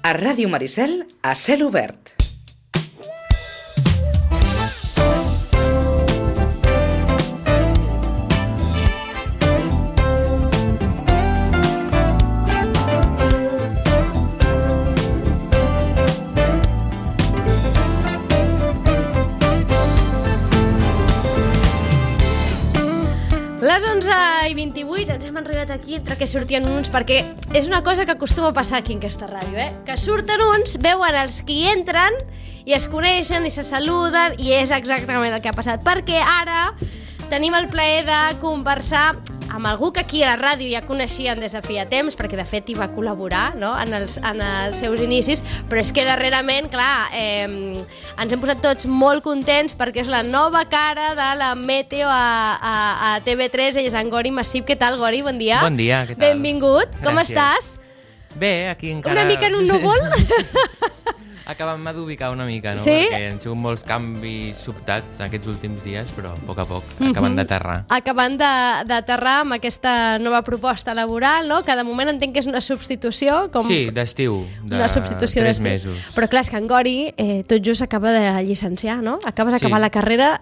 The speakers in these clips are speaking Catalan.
A Ràdio Maricel, a cel obert. Les 11:28 ens hem enrotllat aquí entre que sortien uns, perquè és una cosa que acostuma a passar aquí en aquesta ràdio, que surten uns, veuen els que hi entren i es coneixen i se saluden, i és exactament el que ha passat, perquè ara tenim el plaer de conversar amb algú que aquí a la ràdio ja coneixien des de feia temps, perquè de fet hi va col·laborar, no? en els seus inicis, però és que darrerament, clar, ens hem posat tots molt contents perquè és la nova cara de la Meteo a TV3, ell és en Gori Massip. Què tal, Gori? Bon dia. Bon dia, què tal? Benvingut. Gràcies. Com estàs? Bé, aquí encara... Una mica en un núvol? Acabant-me d'ubicar una mica, no? Sí? Perquè han sigut molts canvis sobtats aquests últims dies, però a poc acabant d'aterrar. Acabant d'aterrar amb aquesta nova proposta laboral, no? Que de moment entenc que és una substitució. Sí, d'estiu, una substitució 3 d'estiu. mesos. Però clar, és que en Gori tot just acaba de llicenciar, no? Acabes d'acabar la carrera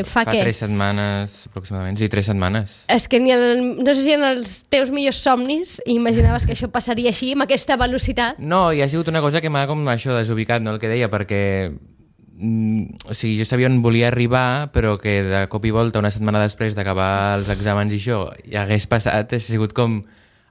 fa què? 3 setmanes, aproximadament, sí, 3 setmanes. És que no sé si en els teus millors somnis imaginaves que això passaria així, amb aquesta velocitat. No, i ha sigut una cosa que m'ha com això desubicat, no, el que deia, perquè o sigui, jo sabia on volia arribar, però que de cop i volta, una setmana després d'acabar els exàmens i això, ja hagués passat, ha sigut com...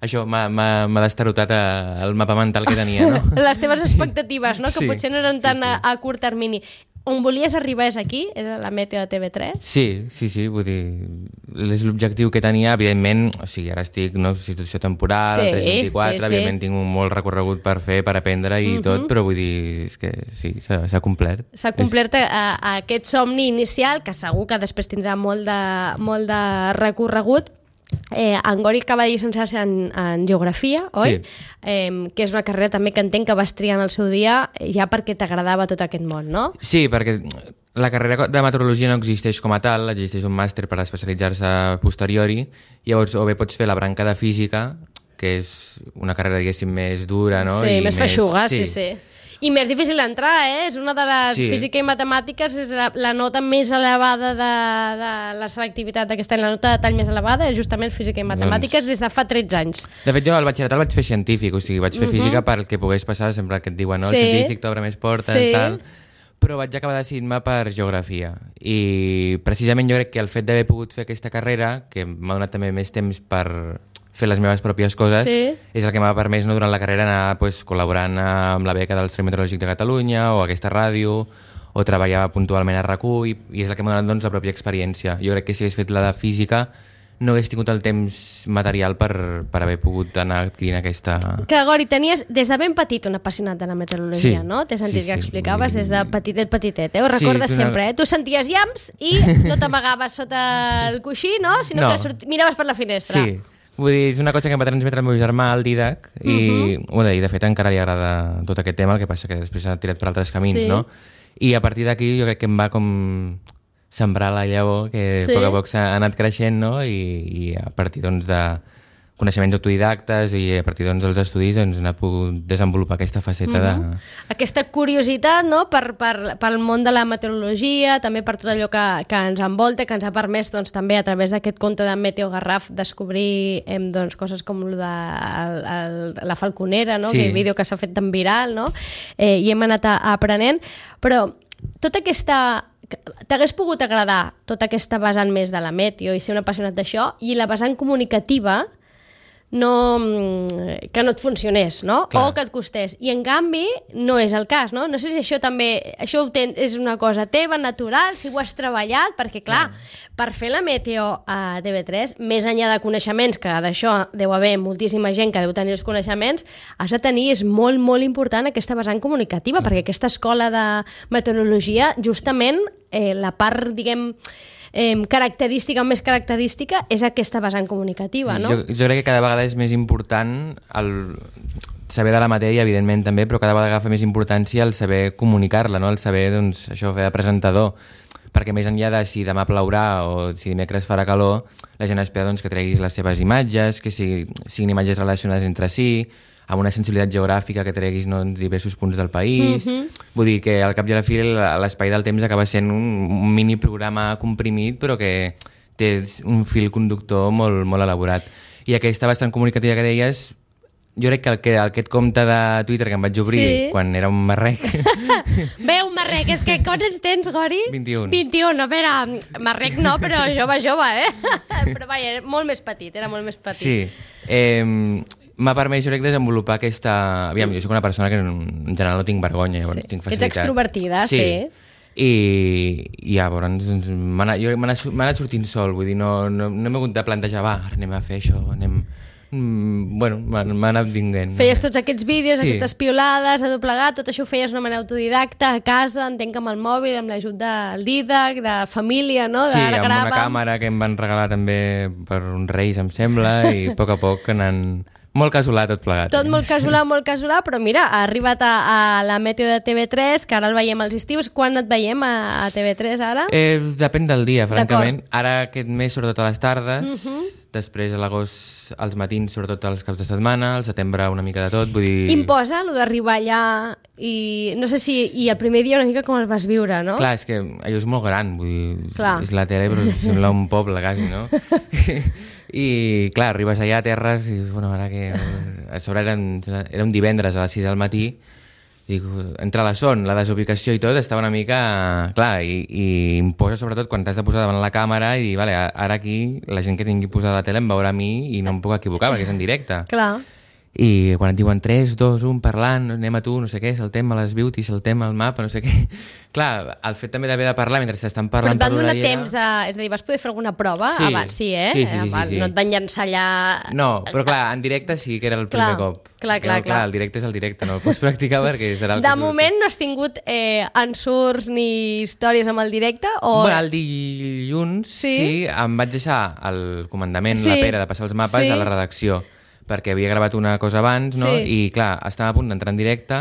Això m'ha destarotat el mapa mental que tenia, no? Les teves expectatives, no? Que Sí, potser no eren tan sí. a curt termini. On volies arribar és aquí? És a la Meteo de TV3? Sí, vull dir, és l'objectiu que tenia, evidentment, o sigui, ara estic en una situació temporal, Sí, 324, sí. evidentment tinc un molt recorregut per fer, per aprendre i tot, però vull dir, és que sí, s'ha complert. S'ha complert a aquest somni inicial, que segur que després tindrà molt de recorregut. En Gori acaba de llicenciar-se en Geografia, oi? Sí. Que és una carrera també que entenc que vas triar en el seu dia ja perquè t'agradava tot aquest món, no? Sí, perquè la carrera de meteorologia no existeix com a tal, existeix un màster per especialitzar-se a posteriori, llavors o bé pots fer la branca de física, que és una carrera, diguéssim, més dura, no? Sí, I més feixuga, sí. I més difícil d'entrar, És una de les... Sí. Física i matemàtiques és la nota més elevada de la selectivitat d'aquest any, la nota de tall més elevada és justament física i matemàtiques des de fa 13 anys. De fet, jo al batxillerat el vaig fer científic, o sigui, vaig fer física per el que pogués passar, sempre que et diuen, no, el científic t'obre més portes, tal... Però vaig acabar decidint-me per geografia. I precisament jo crec que el fet d'haver pogut fer aquesta carrera, que m'ha donat també més temps per fer les meves pròpies coses, és el que m'ha permès, no, durant la carrera anar col·laborant amb la beca del Servei Meteorològic de Catalunya o aquesta ràdio, o treballar puntualment a RAC1, i és el que m'ha donat, doncs, la pròpia experiència. Jo crec que si hagués fet la de física no hagués tingut el temps material per haver pogut anar adquirint aquesta... Que, Gori, tenies des de ben petit un apassionat de la meteorologia, no? T'he sentit que explicaves des de petitet, Ho recordes sempre, Tu senties llamps i no t'amagaves sota el coixí, no? Sinó que miraves per la finestra. Sí. Vull dir, és una cosa que em va transmetre el meu germà, el Didac, i de fet encara li agrada tot aquest tema, el que passa que després s'ha tirat per altres camins, no? I a partir d'aquí jo crec que em va com sembrar la llavor, que a poc a poc s'ha anat creixent, no? I a partir, doncs, de coneixements autodidactes i a partir, doncs, dels estudis doncs, hem pogut desenvolupar aquesta faceta de... Aquesta curiositat, no?, pel món de la meteorologia, també per tot allò que ens envolta, que ens ha permès, doncs, també a través d'aquest conte de Meteo Garraf descobrir doncs, coses com la falconera, no?, que vídeo que s'ha fet tan viral, no?, i hem anat aprenent, però tota aquesta... T'hagués pogut agradar tota aquesta vessant més de la meteo i ser un apassionat d'això, i la vessant comunicativa que no et funcionés, no? Clar. O que et costés. I en canvi no és el cas, no? No sé si això també és una cosa teva, natural, si ho has treballat, perquè clar, per fer la meteo a TV3, més enllà de coneixements, que d'això deu haver moltíssima gent que deu tenir els coneixements, has de tenir, és molt, molt important aquesta vessant comunicativa, perquè aquesta escola de meteorologia, justament, la part, diguem, més característica és aquesta vessant comunicativa, no? Jo crec que cada vegada és més important saber de la matèria, evidentment també, però cada vegada agafa més importància el saber comunicar-la, no? El saber, doncs, això, fer de presentador, perquè més enllà de si demà plourà o si dimecres farà calor, la gent espera, doncs, que treguis les seves imatges, que siguin imatges relacionades entre si, amb una sensibilitat geogràfica que treguis en diversos punts del país. Vull dir que al cap i a la fi l'espai del temps acaba sent un mini programa comprimit, però que té un fil conductor molt, molt elaborat. I aquesta vessant comunicativa que deies, jo crec que aquest compte de Twitter que em vaig obrir quan era un marrec... Bé, un marrec, és que quants anys tens, Gori? 21. 21, no, espera, marrec no, però jove, Però vaja, era molt més petit, Sí, m'ha permès, jo crec, desenvolupar aquesta... Aviam, jo soc una persona que en general no tinc vergonya, llavors tinc facilitat. Ets extrovertida, sí. I llavors m'ha anat sortint sol, vull dir, no m'he hagut de plantejar, va, ara anem a fer això, bueno, m'ha anat vinguent. Feies tots aquests vídeos, aquestes piolades, a doblegar, tot això ho feies d'una manera autodidacta, a casa, entenc amb el mòbil, amb l'ajut del Didac, de família, no? Sí, amb una càmera que em van regalar també per uns reis, em sembla, i a poc anant... Molt casolà tot plegat. Tot molt casolà, però mira, ha arribat a la Meteo de TV3, que ara el veiem als estius. Quan et veiem a TV3 ara? Depèn del dia, francament. Ara aquest mes, sobretot a les tardes, després a l'agost als matins, sobretot als caps de setmana, al setembre una mica de tot, vull dir... Imposa, allò d'arribar allà i no sé si... I el primer dia una mica com el vas viure, no? Clar, és que allò és molt gran, vull dir... És la tele, però sembla un poble, quasi, no? I clar, arribes allà a terres i bueno, ara que... A sobre era un divendres a les 6 del matí, dic, entre la son, la desubicació i tot, estava una mica... Clar, i imposa sobretot quan t'has de posar davant la càmera i dir, vale, ara aquí la gent que tingui posada la tele em veurà a mi i no em puc equivocar perquè és en directe. Clar. I quan et diuen 3, 2, 1, parlant, anem a tu, no sé què, saltem a les beauty, saltem al mapa, no sé què... Clar, el fet també d'haver de parlar mentre t'estan parlant per l'orella... Però et van donar temps és a dir, vas poder fer alguna prova abans, sí, eh? Sí. No et van llançar allà... No, però clar, en directe sí que era el primer cop. Clar. El directe és el directe, no el pots practicar perquè serà el que... De moment no has tingut ensurts ni històries amb el directe? O... Bueno, el dilluns sí, em vaig deixar el comandament, la Pere, de passar els mapes a la redacció, perquè havia gravat una cosa abans, no? I clar, estava a punt d'entrar en directe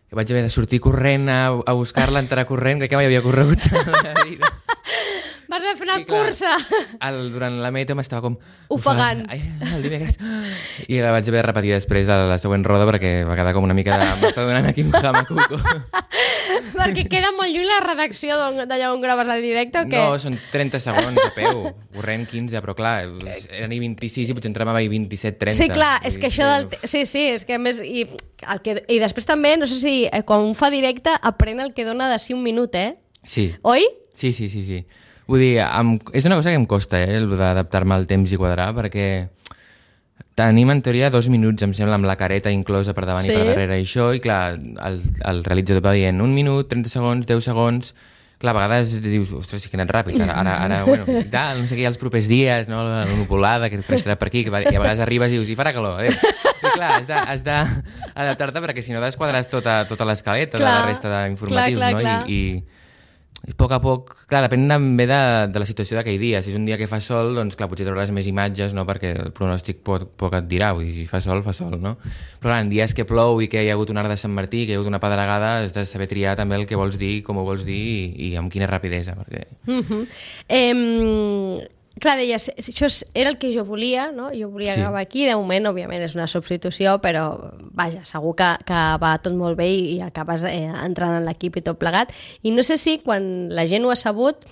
i vaig haver de sortir corrent a buscar-la, entrar corrent, crec que mai havia corregut a la vida. Vas haver de fer una cursa. Durant la Meteo m'estava com... Ofegant. El dimecres. I la vaig haver de repetir després de la següent roda perquè va quedar com una mica de... M'estava donant aquí un jamacuco. Perquè queda molt lluny la redacció d'allà on graves el directe o què? No, són 30 segons a peu, corrent 15, però clar, eren i 26 i potser entrava i 27-30. Sí, clar, és que això del... Sí, és que a més... I després també, no sé si quan un fa directe aprèn el que dona de 5 minut, Sí. Oi? Sí. Vull dir, és una cosa que em costa, d'adaptar-me al temps i quadrar, perquè tenim en teoria 2 minuts, em sembla, amb la careta inclosa per davant i per darrere i això, i clar, el realitzador va dient 1 minut, 30 segons, 10 segons... Clar, a vegades dius, ostres, sí que he anat ràpid, ara, bueno, i tal, no sé què, els propers dies, no, la nupolada, que creixerà per aquí, i a vegades arribes i dius, i farà calor, adéu. I clar, has d'adaptar-te perquè si no desquadres tota l'escaleta de la resta d'informatius, no? I a poc, clar, depèn també de la situació d'aquell dia. Si és un dia que fa sol, doncs clar, potser trobaràs més imatges, no? Perquè el pronòstic poc et dirà, vull dir, si fa sol, no? Però clar, en dies que plou i que hi ha hagut un arc de Sant Martí, que hi ha hagut una pedregada, has de saber triar també el que vols dir, com ho vols dir i amb quina rapidesa, perquè... Clar, deies, això era el que jo volia, no? Jo volia gravar aquí, de moment, òbviament, és una substitució, però, vaja, segur que va tot molt bé i acabes entrant en l'equip i tot plegat. I no sé si, quan la gent ho ha sabut,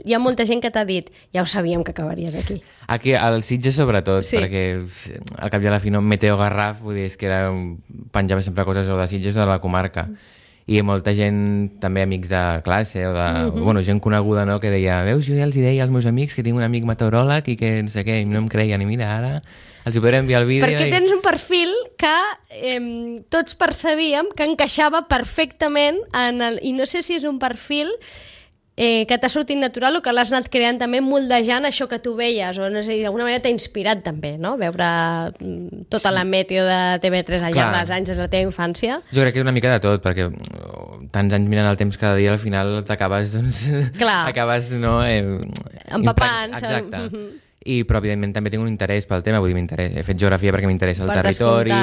hi ha molta gent que t'ha dit ja ho sabíem que acabaries aquí. Aquí, al Sitges sobretot, perquè al cap i a la fi no, Meteo Garraf, vull dir, és que penjava sempre coses o de Sitges o de la comarca. I molta gent, també amics de classe o de, bueno, gent coneguda, no?, que deia, veus, jo ja els deia als meus amics que tinc un amic meteoròleg i que no sé què, i no em creien, i mira, ara els hi podré enviar el vídeo. Perquè tens un perfil que tots percebíem que encaixava perfectament i no sé si és un perfil que t'ha sortit natural o que l'has anat creant també moldejant això que tu veies, o no sé, d'alguna manera t'ha inspirat també, no?, veure tota la Meteo de TV3 al llarg dels anys des de la teva infància. Jo crec que una mica de tot, perquè tants anys mirant el temps cada dia, al final t'acabes, doncs... acabes, no... empapant. Exacte. Però evidentment també tinc un interès pel tema, vull dir, he fet geografia perquè m'interessa el territori,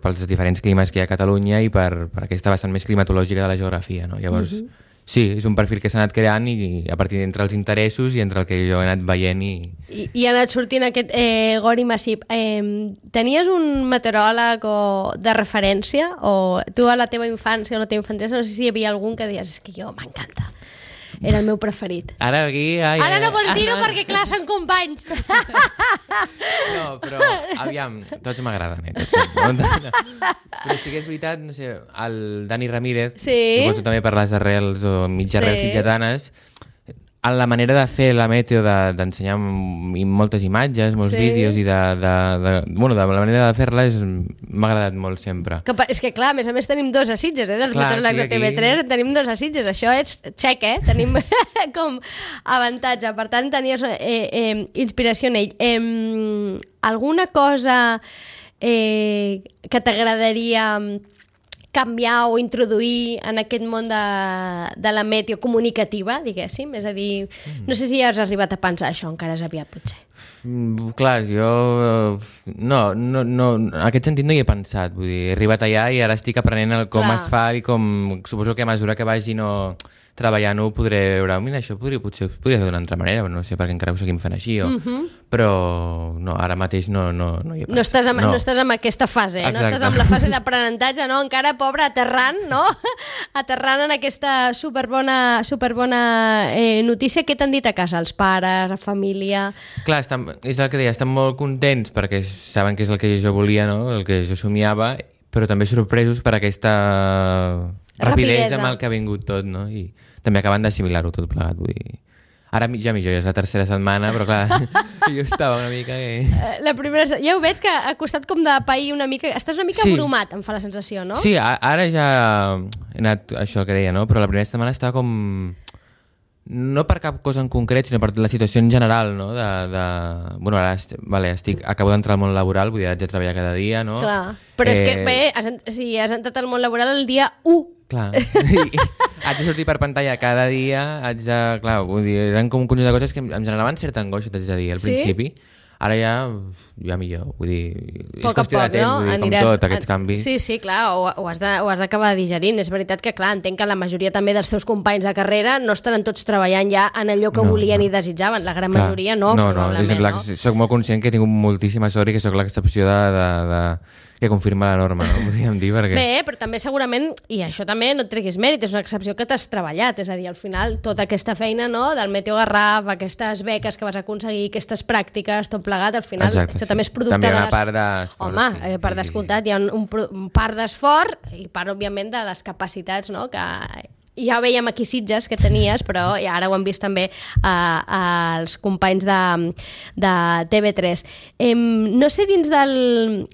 pels diferents climes que hi ha a Catalunya i per aquesta vessant més climatològica de la geografia, no? Llavors... Sí, és un perfil que s'ha anat creant i a partir d'entre els interessos i entre el que jo he anat veient I ha anat sortint aquest Gori Massip. Tenies un meteoròleg de referència? O tu a la teva infància o la teva infantesa, no sé si hi havia algun que deies és que jo m'encanta. Era el meu preferit. Ara aquí... Ara no vols dir-ho perquè, clar, són companys. No, però, aviam, tots m'agraden, tots. Però sí que és veritat, no sé, el Dani Ramírez, suposo també per les arrels o mitjarrels sitjatanes, en la manera de fer la meteo, d'ensenyar moltes imatges, molts vídeos i bueno, de la manera de fer-la m'ha agradat molt sempre. És que clar, a més tenim dos a Sitges, dels meteoròlegs de TV3 tenim dos a Sitges, això és xec, tenim com avantatge, per tant tenies inspiració en ell. Alguna cosa que t'agradaria canviar o introduir en aquest món de la meteo comunicativa, diguéssim? És a dir, no sé si ja has arribat a pensar això, encara és aviat, potser. Clar, jo... No, en aquest sentit no hi he pensat. Vull dir, he arribat allà i ara estic aprenent com es fa i com... Suposo que a mesura que vagi treballant-ho podré veure, mira, això potser podria fer d'una altra manera, però no sé per què encara ho seguim fent així, però no, ara mateix no hi he pensat. No estàs en aquesta fase, no estàs en la fase d'aprenentatge, no? Encara, pobre, aterrant, no? Aterrant en aquesta superbona notícia. Què t'han dit a casa, els pares, la família? Clar, és el que deia, estan molt contents perquè saben que és el que jo volia, no? El que jo somiava, però també sorpresos per aquesta rapidesa amb el que ha vingut tot, no? I també acaben d'assimilar-ho tot plegat, vull dir... Ara ja millor, ja és la tercera setmana, però clar, jo estava una mica... La primera... Ja ho veig que ha costat com de pair una mica... Estàs una mica abrumat, em fa la sensació, no? Sí, ara ja he anat això que deia, no? Però la primera setmana estava com... No per cap cosa en concret, sinó per la situació en general, no? Bueno, ara acabo d'entrar al món laboral, vull dir, haig de treballar cada dia, no? Clar, però és que bé, has entrat al món laboral el dia 1. Clar, haig de sortir per pantalla cada dia, clar, vull dir, eren com un conjunt de coses que em generaven certa angoixa, t'haig de dir, al principi. Ara ja millor, vull dir, és qüestió de temps, vull dir, com tot, aquests canvis. Sí, clar, ho has d'acabar digerint. És veritat que, clar, entenc que la majoria també dels teus companys de carrera no estaran tots treballant ja en allò que volien i desitjaven. La gran majoria no, probablement, no? Soc molt conscient que tinc moltíssima sort i que soc l'excepció que confirma la norma, no? Podríem dir, perquè... Bé, però també segurament, i això també no et treguis mèrit, és una excepció que t'has treballat, és a dir, al final tota aquesta feina, no?, del Meteo Garraf, aquestes beques que vas aconseguir, aquestes pràctiques, tot plegat, al final, això també és producte també hi ha una part d'esforç. Home, per descomptat, hi ha un part d'esforç i part, òbviament, de les capacitats, no?, que ja veiem aquí Sitges que tenies, però ara ho hem vist també als companys de TV3. No sé, dins del...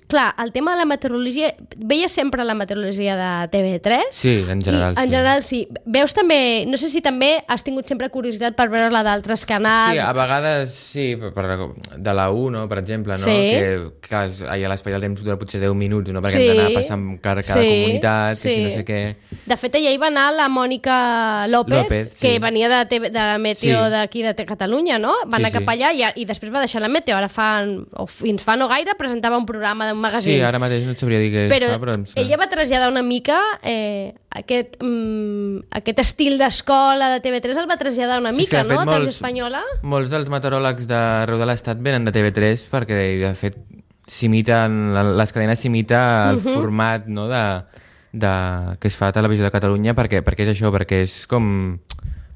Clar, el tema de la meteorologia... Veies sempre la meteorologia de TV3? Sí, en general sí. En general sí. Veus també... No sé si també has tingut sempre curiositat per veure-la d'altres canals. Sí, a vegades sí, de la 1, per exemple, no? Que a l'Espai del Temps dura potser 10 minuts, no? Perquè hem d'anar passant cada comunitat, que si no sé què... De fet, allà hi va anar la Mònica López, que venia de Meteo d'aquí de Catalunya, no? Va anar cap allà i després va deixar la Meteo. Ara fins fa no gaire presentava un programa d'un magazín. Sí, ara mateix no et sabria dir què però ella va traslladar una mica aquest estil d'escola de TV3, el va traslladar una mica, no? Televisió Espanyola. Molts dels meteoròlegs d'arreu de l'Estat venen de TV3 perquè, de fet, les cadenes s'imita el format, no?, que es fa a Televisió de Catalunya perquè és això, perquè és com...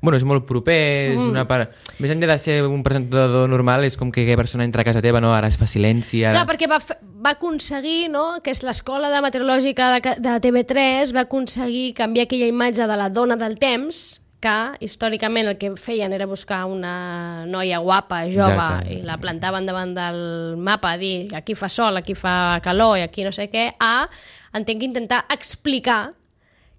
Bueno, és molt proper, és una part... Més enllà de ser un presentador normal, és com que aquella persona entra a casa teva, no? Ara es fa silenci... Ara... Clar, perquè va aconseguir, no?, que és l'escola de meteorològica de TV3, va aconseguir canviar aquella imatge de la dona del temps, que històricament el que feien era buscar una noia guapa, jove, i la plantaven davant del mapa, a dir aquí fa sol, aquí fa calor i aquí no sé què, entenc que intentar explicar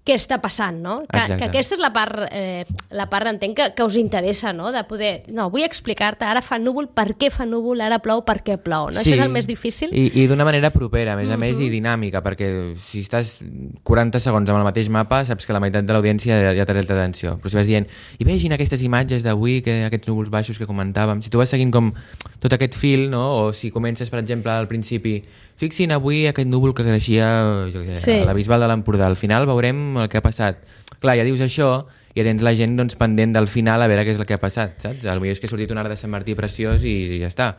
què està passant, no? Que aquesta és la part entenc que us interessa, no? De poder, no, vull explicar-te, ara fa núvol, per què fa núvol, ara plou, per què plou, no? Sí, això és el més difícil. I d'una manera propera, a més, i dinàmica, perquè si estàs 40 segons amb el mateix mapa, saps que la meitat de l'audiència ja té l'atenció. Però si vas dient, i vegin aquestes imatges d'avui, aquests núvols baixos que comentàvem, si tu vas seguint com tot aquest fil, no? O si comences, per exemple, al principi, fixin avui aquest núvol que creixia a la Bisbal de l'Empordà, al final veurem el que ha passat. Clar, ja dius això ja tens la gent doncs, pendent del final a veure què és el que ha passat, saps? Potser és que ha sortit un arc de Sant Martí preciós i ja està.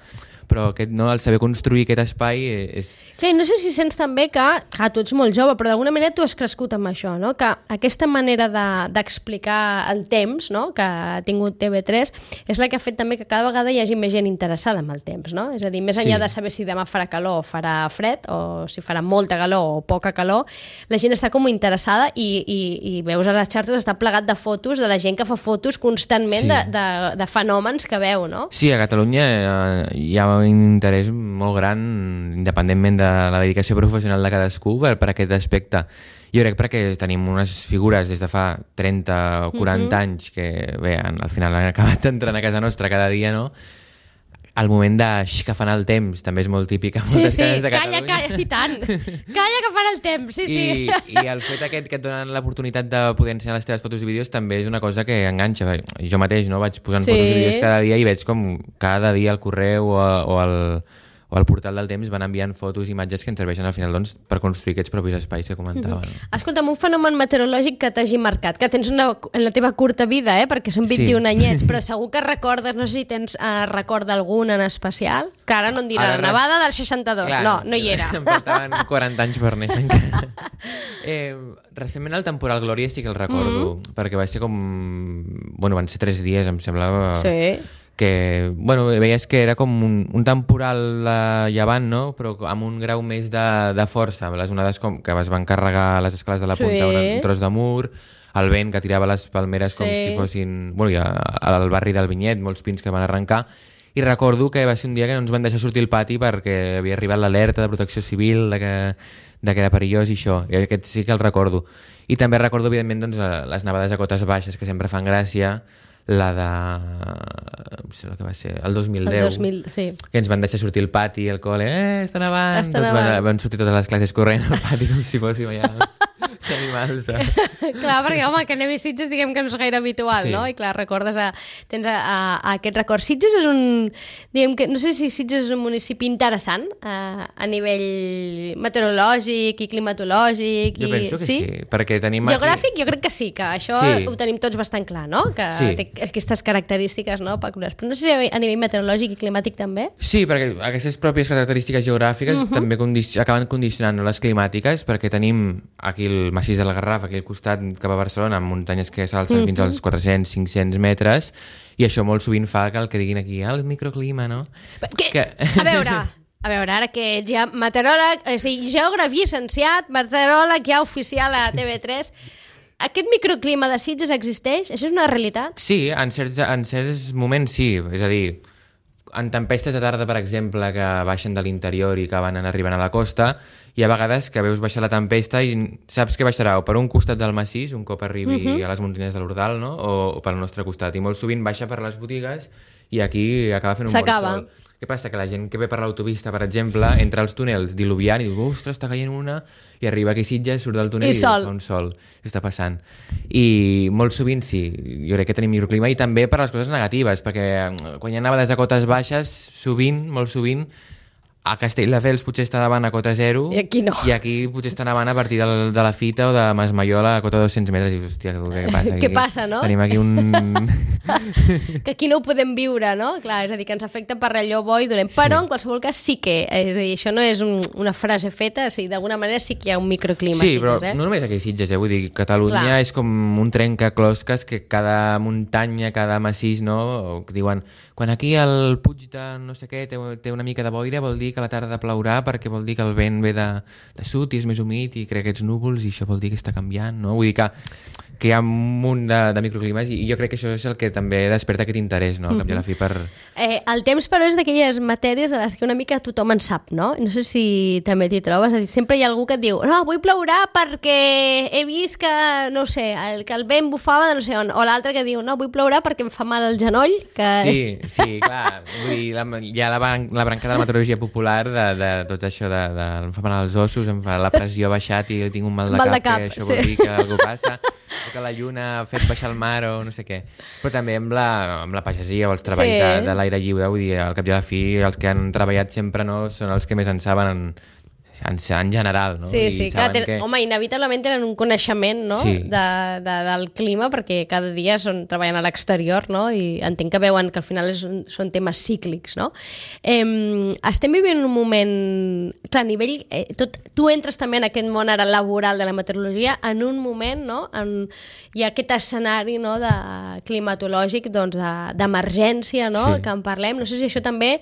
Però el saber construir aquest espai és... Sí, no sé si sents també que tu ets molt jove, però d'alguna manera tu has crescut amb això, no? Que aquesta manera d'explicar el temps, no? Que ha tingut TV3 és la que ha fet també que cada vegada hi hagi més gent interessada en el temps, no? És a dir, més enllà de saber si demà farà calor o farà fred, o si farà molta calor o poca calor, la gent està com interessada i veus a les xarxes està plegat de fotos de la gent que fa fotos constantment de fenòmens que veu, no? Sí, a Catalunya hi ha un interès molt gran, independentment de la dedicació professional de cadascú, per aquest aspecte. Jo crec perquè tenim unes figures des de fa 30 o 40 anys que, bé, al final han acabat entrant a casa nostra cada dia, no? El moment que fan el temps també és molt típic a moltes cases de Catalunya. Calla, i tant. Calla que fan el temps, sí. I el fet aquest que et donen l'oportunitat de poder ensenyar les teves fotos i vídeos també és una cosa que enganxa. Jo mateix vaig posant fotos i vídeos cada dia i veig com cada dia al correu o al portal del temps van enviant fotos i imatges que ens serveixen al final per construir aquests propis espais que comentava. Escolta'm, un fenomen meteorològic que t'hagi marcat, que tens en la teva curta vida, perquè són 21 anyets, però segur que recordes, no sé si tens record d'algun en especial, que ara no em dirà la nevada del 62, clar, no hi era. Em faltaven 40 anys per néixer encara. Recentment el temporal Glòria sí que el recordo, perquè va ser com... van ser 3 dies, em semblava... Sí. Que, veies que era com un temporal llevant, no? Però amb un grau més de força, les onades que es van carregar a les escales de la punta un tros de mur, el vent que tirava les palmeres com si fossin... al barri del Vinyet, molts pins que van arrencar, i recordo que va ser un dia que no ens van deixar sortir al pati perquè havia arribat l'alerta de protecció civil de que era perillós i això, i aquest sí que el recordo. I també recordo, evidentment, les nevades a cotes baixes, que sempre fan gràcia, la de... no sé el que va ser, el 2010, que ens van deixar sortir al pati al col·le, està nevant, van sortir totes les classes corrent al pati com si fóssim allà animals. Clar, perquè home, que anem a Sitges diguem que no és gaire habitual, no? I clar, recordes, tens aquest record. Sitges és diguem que, no sé si Sitges és un municipi interessant a nivell meteorològic i climatològic. Jo penso que sí, perquè tenim geogràfic jo crec que sí, que això ho tenim tots bastant clar, no? Que té aquestes característiques, no, peculiars. Però no sé si a nivell meteorològic i climàtic també. Sí, perquè aquestes pròpies característiques geogràfiques també acaben condicionant les climàtiques, perquè tenim aquí el massís de la Garraf, aquí al costat cap a Barcelona, amb muntanyes que s'alcen fins als 400-500 metres, i això molt sovint fa que el que diguin aquí, el microclima, no? A veure, ara que ets ja meteoròleg, o sigui, geògraf llicenciat, meteoròleg ja oficial a TV3, aquest microclima de Sitges existeix? Això és una realitat? Sí, en certs moments sí, és a dir, en tempestes de tarda, per exemple, que baixen de l'interior i que van arribant a la costa, hi ha vegades que veus baixar la tempesta i saps que baixarà o per un costat del massís, un cop arribi a les muntanyes de l'Ordal, no? O pel nostre costat. I molt sovint baixa per les botigues i aquí acaba fent un bon sol. Què passa? Que la gent que ve per l'autopista, per exemple, entra als túnels diluviant i diu, ostres, està caient una, i arriba aquí a Sitges, surt del túnel i diu, fa un sol. Què està passant? I molt sovint sí, jo crec que tenim microclima, i també per les coses negatives, perquè quan hi ha nevades a cotes baixes, sovint, molt sovint, a Castelldefels potser està davant a cota 0 i aquí no. I aquí potser està davant a partir de la Fita o de Masmaiola a cota 200 metres. I hòstia, què passa aquí? Què passa, no? Tenim aquí un... que aquí no ho podem viure, no? Clar, és a dir, que ens afecta per allò bo i dolent. Però, en qualsevol cas, sí que... És a dir, això no és una frase feta, o sigui, d'alguna manera sí que hi ha un microclima a Sitges, però no només aquí a Sitges, vull dir, Catalunya és com un trencaclosques que cada muntanya, cada massís, no? Que diuen, quan aquí el Puig de no sé què té una mica de boira, vol dir que a la tarda plourà perquè vol dir que el vent ve de sud i és més humit i crea aquests núvols i això vol dir que està canviant, no? Vull dir que hi ha un munt de microclimes i jo crec que això és el que també desperta aquest interès, no? Al cap i a la fi per... El temps, però, és d'aquelles matèries de les que una mica tothom en sap, no? No sé si també t'hi trobes. És a dir, sempre hi ha algú que et diu no, avui plourà perquè he vist que, no sé, que el vent bufava de no sé on, o l'altre que diu no, avui plourà perquè em fa mal el genoll. Que... Sí, clar. Vull dir, hi ha la branca de la meteorologia popular de tot això em fa mal els ossos, em fa la pressió ha baixat i tinc un mal de cap, que això vol dir que alguna cosa passa, o que la lluna ha fet baixar el mar o no sé què. Però també amb la pagesia o els treballs de l'aire lliure, vull dir, al cap i a la fi, els que han treballat sempre no són els que més en saben en general, no? Sí, I clar, que... home, inevitablement tenen un coneixement, no? Sí. Del clima, perquè cada dia treballen a l'exterior, no? I entenc que veuen que al final són temes cíclics, no? Estem vivint un moment... Clar, a nivell... tu entres també en aquest món ara laboral de la meteorologia en un moment, no? Hi ha aquest escenari, no? De climatològic, doncs, d'emergència, no? Sí. Que en parlem. No sé si això també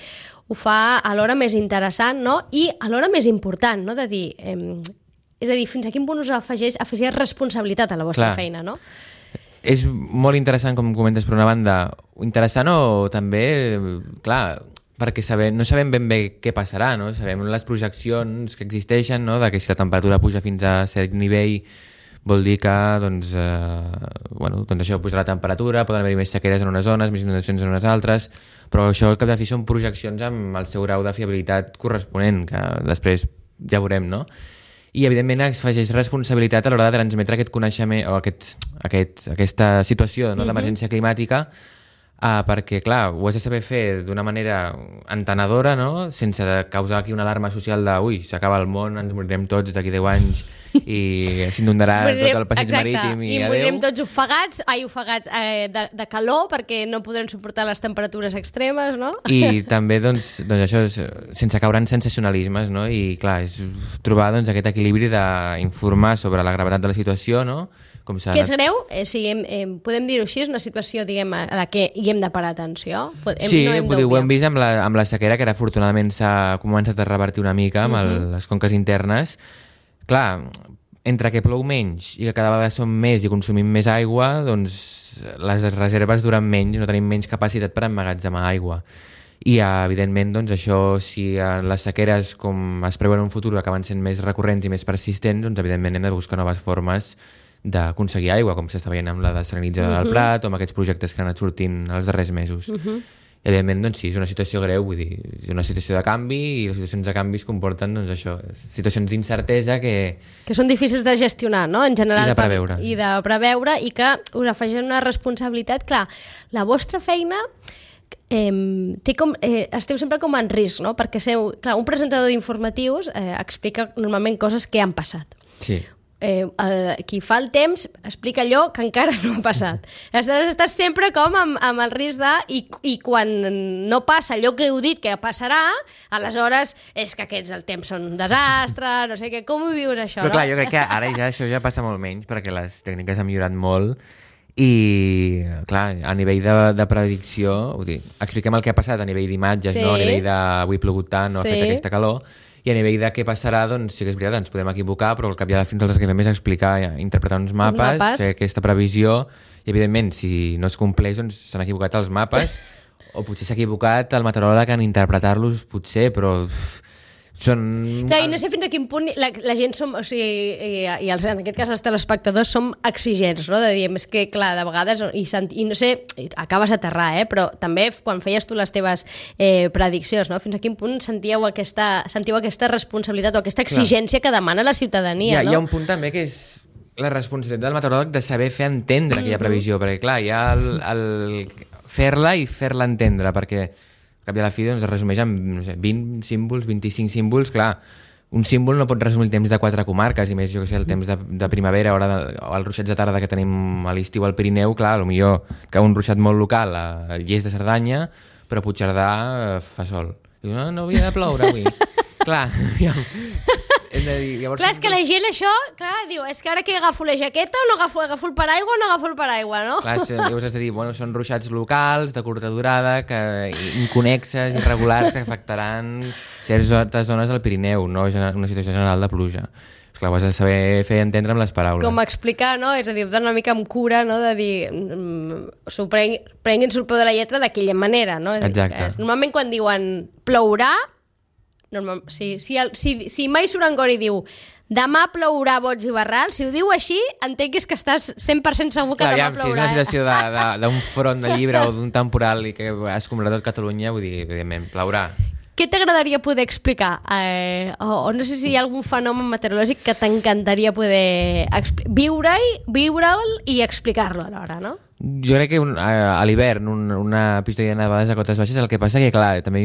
ho fa alhora més interessant, no? I alhora més important, no? De dir... és a dir, fins a quin punt us afegeix responsabilitat a la vostra feina, no? És molt interessant, com comentes, per una banda, interessant o també, clar, perquè no sabem ben bé què passarà, no? Sabem les projeccions que existeixen, no? De que si la temperatura puja fins a cert nivell vol dir que doncs això pujarà la temperatura, poden haver-hi més sequeres en unes zones, més inundacions en unes altres, però això al cap de fi són projeccions amb el seu grau de fiabilitat corresponent, que després ja veurem, no? I evidentment afegeix responsabilitat a l'hora de transmetre aquest coneixement o aquesta situació, no, d'emergència climàtica, perquè, clar, ho has de saber fer d'una manera entenedora, no? Sense causar aquí una alarma social de ui, s'acaba el món, ens morirem tots d'aquí 10 anys i s'inundarà tot el passeig marítim i adeu. Morirem tots ofegats de calor perquè no podrem suportar les temperatures extremes, no? I també, doncs això, sense caure en sensacionalismes, no? I, clar, és trobar doncs, aquest equilibri d'informar sobre la gravetat de la situació, no? Que és greu, podem dir-ho així, és una situació, diguem, a la que hi hem de parar atenció. Sí, ho hem vist amb la sequera, que ara afortunadament s'ha començat a revertir una mica amb les conques internes. Clar, entre que plou menys i que cada vegada som més i consumim més aigua, doncs les reserves duren menys, no tenim menys capacitat per emmagatzemar aigua. I, evidentment, doncs això, si les sequeres, com es preveu en un futur, acaben sent més recurrents i més persistents, doncs evidentment hem de buscar noves formes d'aconseguir aigua, com s'està veient amb la desalinitzadora del Prat o amb aquests projectes que han anat sortint els darrers mesos. I, evidentment, doncs sí, és una situació greu, vull dir, és una situació de canvi i les situacions de canvis comporten, doncs això, situacions d'incertesa que són difícils de gestionar, no? En general, I de preveure. I de preveure, i que us afegeix una responsabilitat. Clar, la vostra feina esteu sempre com en risc, no? Perquè clar, un presentador d'informatius explica normalment coses que han passat. Sí. Qui fa el temps explica allò que encara no ha passat. Aleshores estàs sempre com amb el risc i quan no passa allò que heu dit que passarà, aleshores és que el temps són un desastre, no sé què, com ho vius això? Però clar, jo crec que ara això ja passa molt menys perquè les tècniques han millorat molt i clar, a nivell de predicció, expliquem el que ha passat a nivell d'imatges, no? A nivell d'avui ha plogut tant, no ha fet aquesta calor. I a nivell de què passarà, doncs sí que és veritat, ens podem equivocar, però al cap i a la fi nosaltres que fem és explicar, interpretar uns mapes, fer aquesta previsió, i evidentment, si no es compleix, doncs s'han equivocat els mapes, o potser s'ha equivocat el meteoròleg en interpretar-los, potser, però són... Clar, i no sé fins a quin punt la gent som, o sigui, i en aquest cas els telespectadors som exigents, no? De dir, és que clar, de vegades, i no sé, acabes d'aterrar, però també quan feies tu les teves prediccions, no? Fins a quin punt sentiu aquesta responsabilitat o aquesta exigència que demana la ciutadania, no? Hi ha un punt també que és la responsabilitat del meteoròleg de saber fer entendre aquella previsió, perquè clar, hi ha el fer-la i fer-la entendre, perquè al cap i a la fi doncs, es resumeix en 20 símbols, 25 símbols. Clar, un símbol no pot resumir el temps de 4 comarques, i més, jo que sé, el temps de primavera o els ruixats de tarda que tenim a l'estiu al Pirineu. Clar, potser que un ruixat molt local a Lles de Cerdanya, però a Puigcerdà fa sol. Diu, no havia de ploure avui. Clar, clar, és que la gent això, clar, diu, és que ara que agafo la jaqueta o no agafo el paraigua o no agafo el paraigua, no? Clar, llavors has de dir, són ruixats locals, de curta durada, inconnexes, irregulars, que afectaran certes zones del Pirineu, no una situació general de pluja. Esclar, ho has de saber fer entendre amb les paraules. Com explicar, no? És a dir, donar una mica amb cura, no? De dir, prenguin-se el peu de la lletra d'aquella manera, no? Exacte. Normalment quan diuen plourà, si mai Surangori diu demà plourà boig i barral, si ho diu així, entenc que estàs 100% segur que demà plourà. Si és una situació d'un front de llibre o d'un temporal i que es comprarà tot Catalunya, vull dir, evidentment, plourà. Què t'agradaria poder explicar? O no sé si hi ha algun fenomen meteorològic que t'encantaria poder viure'l i explicar-lo alhora, no? Jo crec que a l'hivern una episodi de nevades a cotes baixes, el que passa que, clar, també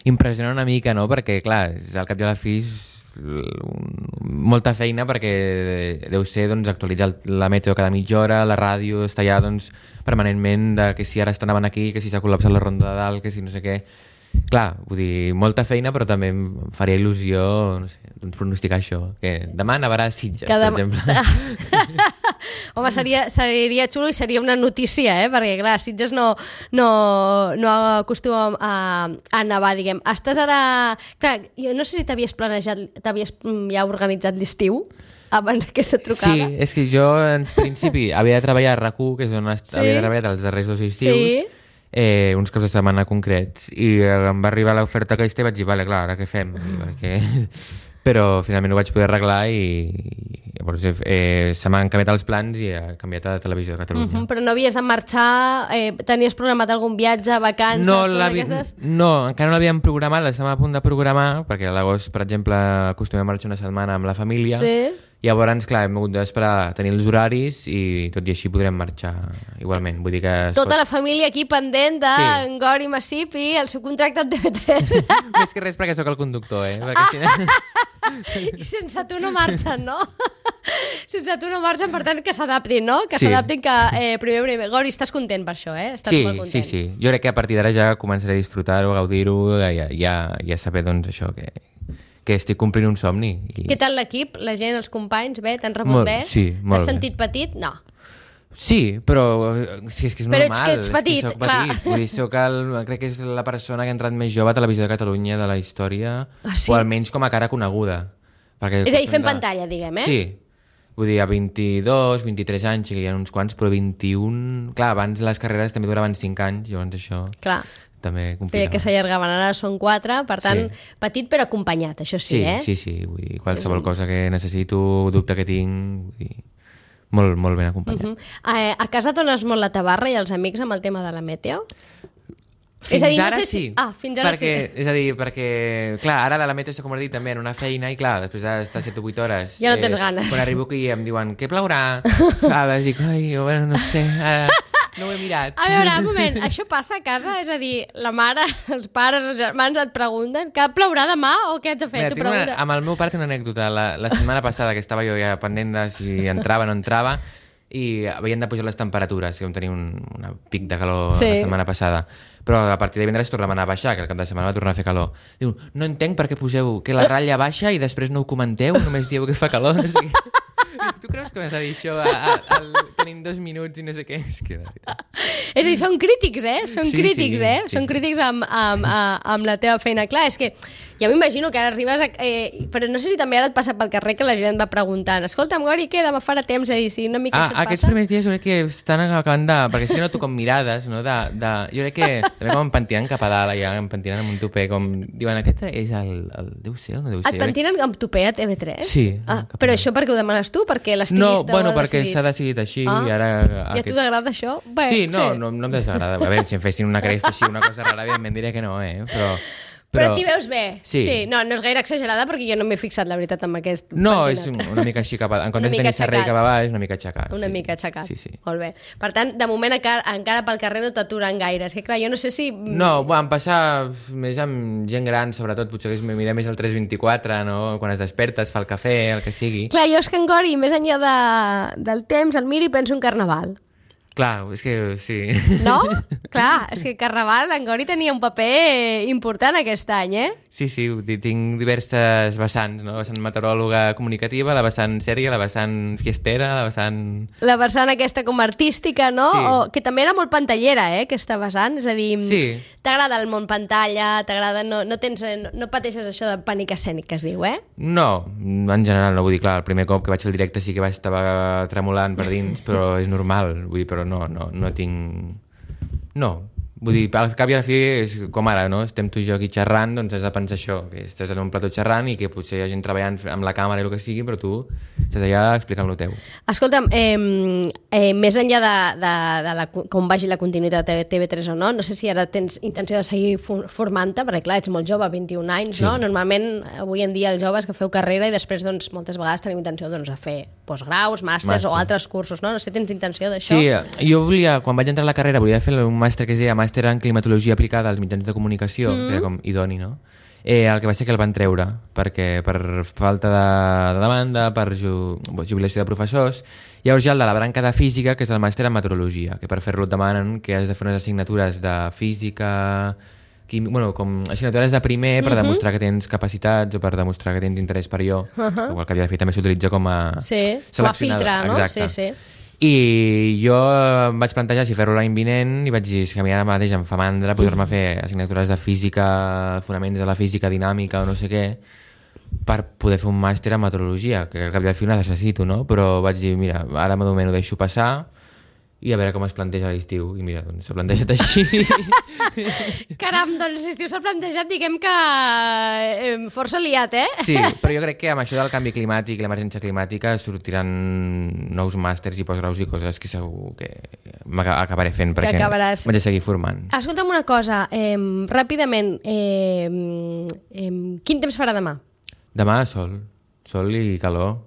impressiona una mica, no? Perquè, clar, al cap i a la fi molta feina perquè deu ser doncs, actualitzar la meteo cada mitja hora, la ràdio està ja doncs, permanentment de que si ara estaven aquí, que si s'ha col·lapsat la ronda de dalt, que si no sé què. Clar, vull dir, molta feina, però també em faria il·lusió, no sé, doncs pronosticar això, que demà nevarà a Sitges, per exemple. Home, seria xulo i seria una notícia, perquè clar, Sitges no acostuma a nevar, diguem. Estàs ara... Clar, jo no sé si t'havies ja organitzat l'estiu abans d'aquesta trucada. Sí, és que jo, en principi, havia de treballar a RAC1, que és on havia treballat els darrers 2 estius, uns caps de setmana concrets, i em va arribar l'oferta aquesta i vaig dir, vale, clar, ara què fem? Però finalment ho vaig poder arreglar i llavors se m'han canviat els plans i he canviat a Televisió de Catalunya. Però no havies de marxar? Tenies programat algun viatge, vacances? No, encara no l'havíem programat, l'estàvem a punt de programar, perquè a l'agost, per exemple, acostumem a marxar una setmana amb la família. Sí. Llavors, clar, hem hagut d'esperar a tenir els horaris i tot i així podrem marxar igualment. Vull dir que tota la família aquí pendent de Gori Massip i el seu contracte amb TV3. Més que res perquè sóc el conductor, I sense tu no marxen, no? Sense tu no marxen, per tant, que s'adaptin, no? Que s'adaptin, que primer. Gori, estàs content per això, Estàs molt content. Sí. Jo crec que a partir d'ara ja començaré a disfrutar-ho, a gaudir-ho, ja saber, doncs, això, que estic complint un somni. Què tal l'equip? La gent, els companys, bé? T'han rebut bé? Sí, molt bé. T'has sentit petit? No. Sí, però sí, és que és normal. Però ets que ets petit, clar. Vull dir, crec que és la persona que ha entrat més jove a Televisió de Catalunya de la història, o almenys com a cara coneguda. És a dir, fent pantalla, diguem, Sí. Vull dir, a 22, 23 anys, sí que hi ha uns quants, però 21... Clar, abans les carreres també duraven 5 anys, llavors això... Clar. També complicava. Feia que s'allargaven, ara són 4, per tant, petit però acompanyat, això sí, Sí, vull dir, qualsevol cosa que necessito, dubte que tinc, vull dir, molt ben acompanyat. A casa dones molt la tabarra i els amics amb el tema de la meteo? Fins ara sí. Fins ara sí. És a dir, perquè, clar, ara la meteo s'ha convertit també en una feina i, clar, després d'estar 7 o 8 hores... Ja no tens ganes. Quan arribo aquí em diuen, què plaurà? Dic, bueno, no sé, ara... No ho he mirat. A veure, un moment, això passa a casa? És a dir, la mare, els pares, els germans et pregunten que plaurà demà o què haig de fer? Amb el meu pare tinc una anècdota. La setmana passada que estava jo ja pendent de si entrava o no entrava i havien de pujar les temperatures, que vam tenir un pic de calor la setmana passada. Però a partir de divendres tornaven a baixar, que el cap de setmana va tornar a fer calor. Diu, no entenc per què poseu que la ratlla baixa i després no ho comenteu, només dieu que fa calor. No sé què. Tu creus que m'has de dir això tenim 2 minuts i no sé què? És a dir, són crítics, Són crítics, Són crítics amb la teva feina. Clar, és que ja m'imagino que ara arribes però no sé si també ara et passa pel carrer que la gent va preguntant, escolta'm, Gori, què? Demà farà temps? És a dir, si una mica això et passa... Aquests primers dies jo crec que estan acabant de... Perquè sí que noto com mirades, no? Jo crec que també com em pentinen cap a dalt, ja, em pentinen amb un tupé, com diuen, aquest és el deu ser o no deu ser? Et pentinen amb tupé a TV3? Sí. Però això perquè ho demanes tu? Perquè l'estilista No, perquè s'ha decidit així i ara... I a tu t'agrada això? Sí, no em desagrada. A veure, si em fessin una cresta així, una cosa rara, evidentment diré que no, Però t'hi veus bé? Sí. No és gaire exagerada perquè jo no m'he fixat, la veritat, amb aquest No, pentinat. És una mica així cap a... En comptes de tenir serrell cap a baix, una mica aixecat. Una mica aixecat. Sí. Molt bé. Per tant, de moment encara pel carrer no t'aturen gaire. És que clar, jo no sé si... No, em passa més amb gent gran, sobretot, potser que mira més el 324, no? Quan es desperta, es fa el cafè, el que sigui. Clar, jo és que en Gori, més enllà del temps, el miro i penso en Carnaval. Clar, és que sí. No? Clar, és que Carnaval, en Gori tenia un paper important aquest any, Sí, tinc diverses vessants, no? La vessant meteoròloga comunicativa, la vessant sèria, la vessant fiestera, la vessant... La vessant aquesta com artística, no? Sí. Que també era molt pantallera, aquesta vessant, és a dir, sí. T'agrada el món pantalla, t'agrada... No pateixes això de pànic escènic, que es diu, No, en general no, vull dir, clar, el primer cop que vaig al directe sí que estava tremolant per dins, però és normal, vull dir, però no tinc... No, vull dir, al cap i a la fi és com ara, no? Estem tu i jo aquí xerrant, doncs has de pensar això, que estàs en un plató xerrant i que potser hi ha gent treballant amb la càmera i el que sigui, però tu estàs allà explicant el teu. Escolta'm, més enllà de com vagi la continuïtat de TV3 o no sé si ara tens intenció de seguir formant-te, perquè clar, ets molt jove, 21 anys, no? Normalment, avui en dia, els joves que feu carrera i després, doncs, moltes vegades tenim intenció de fer postgraus, màsters o altres cursos, no? No sé, tens intenció d'això? Sí, jo volia, quan vaig entrar a la carrera, volia fer un màster que es deia Màster en Climatologia aplicada als mitjans de comunicació, que era com idoni, no? el que va ser que el van treure, perquè per falta de demanda, per jubilació de professors. Llavors hi ha el de la branca de física, que és el màster en meteorologia, que per fer-lo et demanen que has de fer unes assignatures de física, com assignatures de primer per demostrar que tens capacitats o per demostrar que tens interès per allò, igual que havia de fer també s'utilitza com a com a filtre, no? Exacte. Sí. I jo em vaig plantejar si fer-ho l'any vinent i vaig dir que a mi ara mateix em fa mandra posar-me a fer assignatures de física, fonaments de la física dinàmica o no sé què, per poder fer un màster en meteorologia, que al cap i al fi ho necessito, no? Però vaig dir, mira, ara de moment ho deixo passar i a veure com es planteja l'estiu. I mira, doncs s'ha plantejat així. Caram, doncs l'estiu s'ha plantejat, diguem que força liat, eh? Sí, però jo crec que amb això del canvi climàtic i l'emergència climàtica sortiran nous màsters i postgraus i coses que segur que m'acabaré fent perquè vaig a seguir formant. Escolta'm una cosa, ràpidament, quin temps farà demà? Demà sol i calor,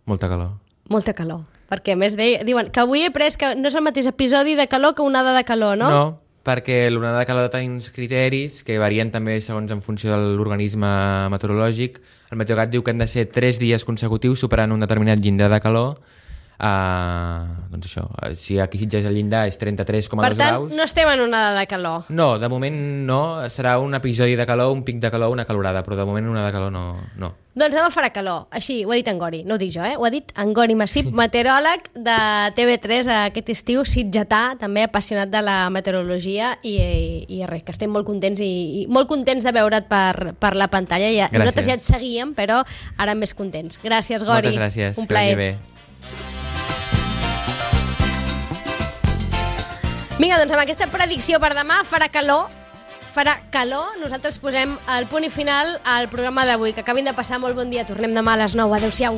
molta calor. Molta calor. Perquè a més diuen que avui he pres que no és el mateix episodi de calor que onada de calor, no? No, perquè l'onada de calor té uns criteris que varien també segons en funció de l'organisme meteorològic. El Meteogat diu que han de ser 3 dies consecutius superant un determinat llindar de calor. Doncs això, si aquí Sitges el llindar és 33,2 graus... Per tant, no estem en onada de calor. No, de moment no. Serà un episodi de calor, un pic de calor, una calorada, però de moment una de calor no. Doncs demà farà calor. Així, ho ha dit en Gori. No ho dic jo, ho ha dit en Gori Massip, meteoròleg de TV3 aquest estiu, sitgetà, també apassionat de la meteorologia i res, que estem molt contents i molt contents de veure't per la pantalla. Nosaltres ja et seguíem, però ara més contents. Gràcies, Gori. Moltes gràcies. Un plaer. Que vagi bé. Vinga, doncs amb aquesta predicció per demà farà calor. Nosaltres posem el punt i final al programa d'avui. Que acabin de passar molt bon dia. Tornem demà a les 9. Adéu-siau.